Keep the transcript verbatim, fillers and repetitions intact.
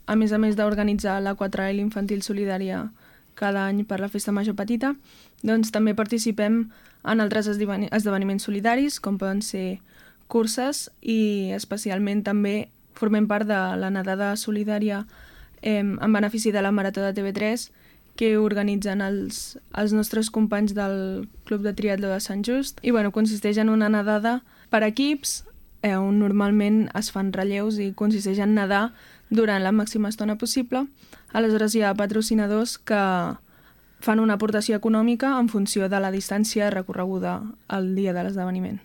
a més a més d'organitzar la Quatrail Infantil Solidària cada any per la Festa Major Petita, doncs també participem en altres esdeveni- esdeveniments solidaris, com poden ser curses, i especialment també formem part de la nedada solidària eh, en benefici de la Marató de T V tres, que organitzen els, els nostres companys del Club de Triatló de Sant Just. I bueno, consisteix en una nedada per equips, eh, on normalment es fan relleus i consisteix en nedar durant la màxima estona possible. Aleshores hi ha patrocinadors que fan una aportació econòmica en funció de la distància recorreguda el dia de l'esdeveniment.